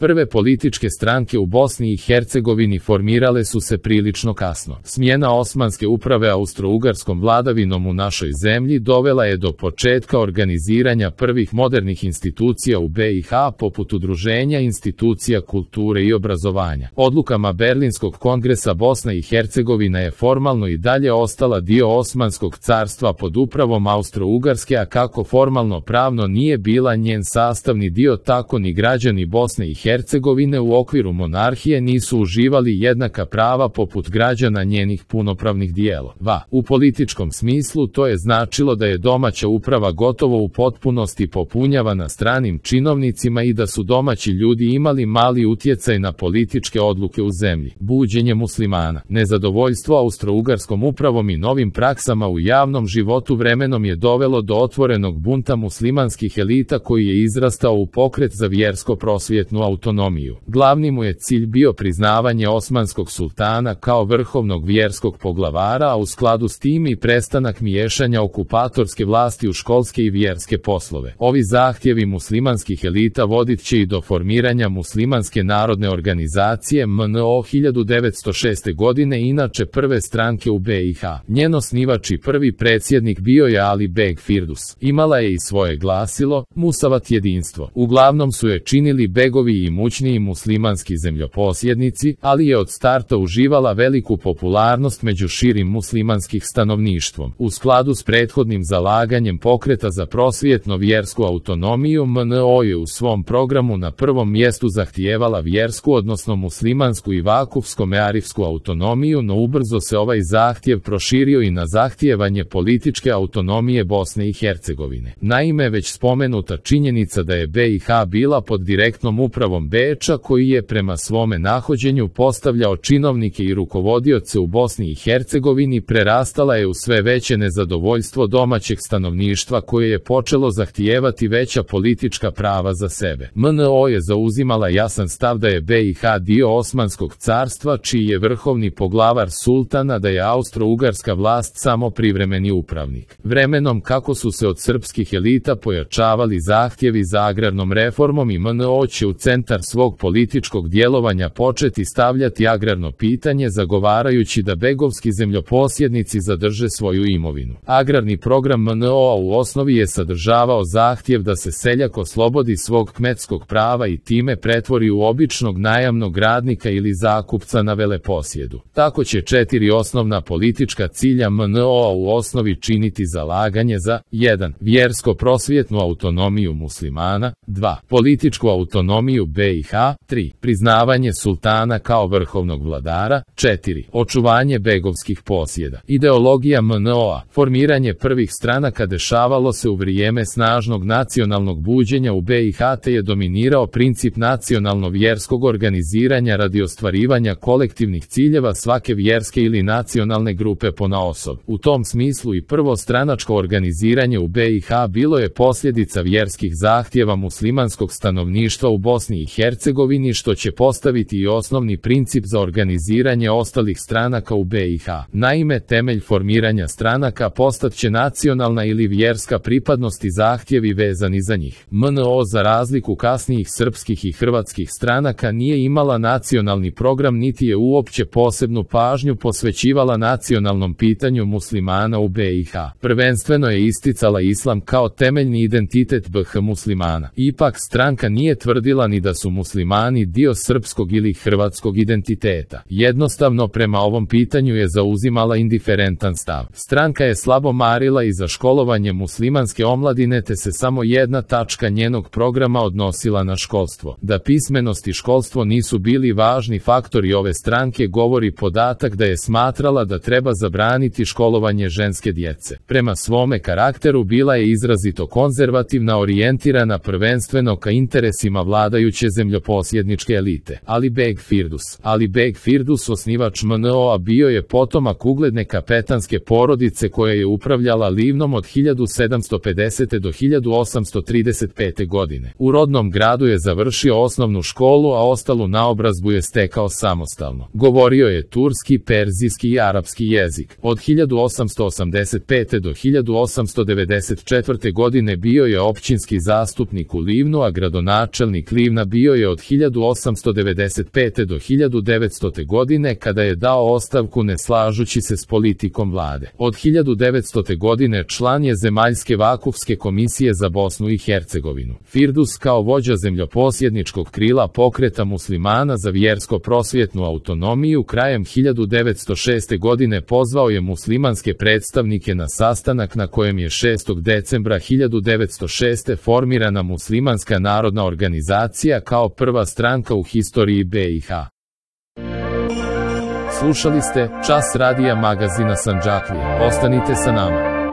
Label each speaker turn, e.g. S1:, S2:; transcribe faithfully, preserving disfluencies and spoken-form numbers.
S1: Prve političke stranke u Bosni i Hercegovini formirale su se prilično kasno. Smjena osmanske uprave austro-ugarskom vladavinom u našoj zemlji dovela je do početka organiziranja prvih modernih institucija u B i H poput udruženja institucija kulture i obrazovanja. Odlukama Berlinskog kongresa Bosna i Hercegovina je formalno i dalje ostala dio Osmanskog carstva pod upravom Austro-Ugarske, a kako formalno pravno nije bila njen sastavni dio, tako ni građani Bosne i Hercegovine u okviru monarhije nisu uživali jednaka prava poput građana njenih punopravnih dijelova. U političkom smislu to je značilo da je domaća uprava gotovo u potpunosti popunjavana stranim činovnicima i da su domaći ljudi imali mali utjecaj na političke odluke u zemlji. Buđenje muslimana. Nezadovoljstvo austro-ugarskom upravom i novim praksama u javnom životu vremenom je dovelo do otvorenog bunta muslimanskih elita koji je izrastao u pokret za vjersko-prosvjetnu autonomiju. Glavni mu je cilj bio priznavanje osmanskog sultana kao vrhovnog vjerskog poglavara, a u skladu s tim i prestanak miješanja okupatorske vlasti u školske i vjerske poslove. Ovi zahtjevi muslimanskih elita vodit će i do formiranja Muslimanske narodne organizacije M N O hiljadu devetsto šeste. godine, inače prve stranke u B i H. Njen osnivač i prvi predsjednik bio je Ali Beg Firdus. Imala je i svoje glasilo, Musavat jedinstvo. Uglavnom su je činili begovi i imućniji muslimanski zemljoposjednici, ali je od starta uživala veliku popularnost među širim muslimanskih stanovništvom. U skladu s prethodnim zalaganjem pokreta za prosvjetno vjersku autonomiju, M N O je u svom programu na prvom mjestu zahtijevala vjersku, odnosno muslimansku i vakufsko-mearifsku autonomiju, no ubrzo se ovaj zahtjev proširio i na zahtijevanje političke autonomije Bosne i Hercegovine. Naime, već spomenuta činjenica da je B i H bila pod direktnom upravom Beča, koji je prema svome nahođenju postavljao činovnike i rukovodioce u Bosni i Hercegovini, prerastala je u sve veće nezadovoljstvo domaćeg stanovništva koje je počelo zahtijevati veća politička prava za sebe. M N O je zauzimala jasan stav da je B i H dio Osmanskog carstva, čiji je vrhovni poglavar sultana, da je austro-ugarska vlast samo privremeni upravnik. Vremenom, kako su se od srpskih elita pojačavali zahtjevi za agrarnom reformom, i M N O će u centar svog političkog djelovanja početi stavljati agrarno pitanje, zagovarajući da begovski zemljoposjednici zadrže svoju imovinu. Agrarni program M N O-a u osnovi je sadržavao zahtjev da se seljak oslobodi svog kmetskog prava i time pretvori u običnog najamnog radnika ili zakupca na veleposjedu. Tako će četiri osnovna politička cilja M N O-a u osnovi činiti zalaganje za jedan Vjersko-prosvjetnu autonomiju muslimana, dva Političku autonomiju B i H, tri Priznavanje sultana kao vrhovnog vladara, četiri Očuvanje begovskih posjeda. Ideologija M N O-a. Formiranje prvih stranaka dešavalo se u vrijeme snažnog nacionalnog buđenja u B i H, te je dominirao princip nacionalno-vjerskog organiziranja radi ostvarivanja kolektivnih ciljeva svake vjerske ili nacionalne grupe ponaosob. U tom smislu i prvo stranačko organiziranje u B i H bilo je posljedica vjerskih zahtjeva muslimanskog stanovništva u Bosni i Hercegovini, što će postaviti i osnovni princip za organiziranje ostalih stranaka u B i H. Naime, temelj formiranja stranaka postat će nacionalna ili vjerska pripadnost i zahtjevi vezani za njih. M N O, za razliku kasnijih srpskih i hrvatskih stranaka, nije imala nacionalni program niti je uopće posebnu pažnju posvećivala nacionalnom pitanju muslimana u B i H. Prvenstveno je isticala islam kao temeljni identitet B H muslimana. Ipak stranka nije tvrdila ni da su muslimani dio srpskog ili hrvatskog identiteta. Jednostavno prema ovom pitanju je zauzimala indiferentan stav. Stranka je slabo marila i za školovanje muslimanske omladine, te se samo jedna tačka njenog programa odnosila na školstvo. Da pismenost i školstvo nisu bili važni faktori ove stranke govori podatak da je smatrala da treba zabraniti školovanje ženske djece. Prema svome karakteru bila je izrazito konzervativna, orijentirana prvenstveno ka interesima vladajuće zemljoposjedničke elite. Ali Beg Firdus. Ali Beg Firdus, osnivač M N O-a, bio je potomak ugledne kapetanske porodice koja je upravljala Livnom od hiljadu sedamsto pedesete do hiljadu osamsto trideset pete. godine. U rodnom gradu je završio osnovnu školu, a ostalu naobrazbu je stekao samostalno. Govorio je turski, perzijski i arapski jezik. Od hiljadu osamsto osamdeset pete. do hiljadu osamsto devedeset četvrte. godine bio je općinski zastupnik u Livnu, a gradonačelnik Livna bio je od hiljadu osamsto devedeset pete do hiljadu devetstote. godine kada je dao ostavku ne slažući se s politikom vlade. Od hiljadu devetstote. godine član je Zemaljske vakufske komisije za Bosnu i Hercegovinu. Firdus kao vođa zemljoposjedničkog krila pokreta muslimana za vjersko-prosvjetnu autonomiju krajem hiljadu devetsto šeste. godine pozvao je muslimanske predstavnike na sastanak na kojem je šestog decembra hiljadu devetsto šeste. formirana Muslimanska narodna organizacija kao prva stranka u historiji B i H. Slušali ste Čas radija magazina Sandžaklija. Ostanite sa nama.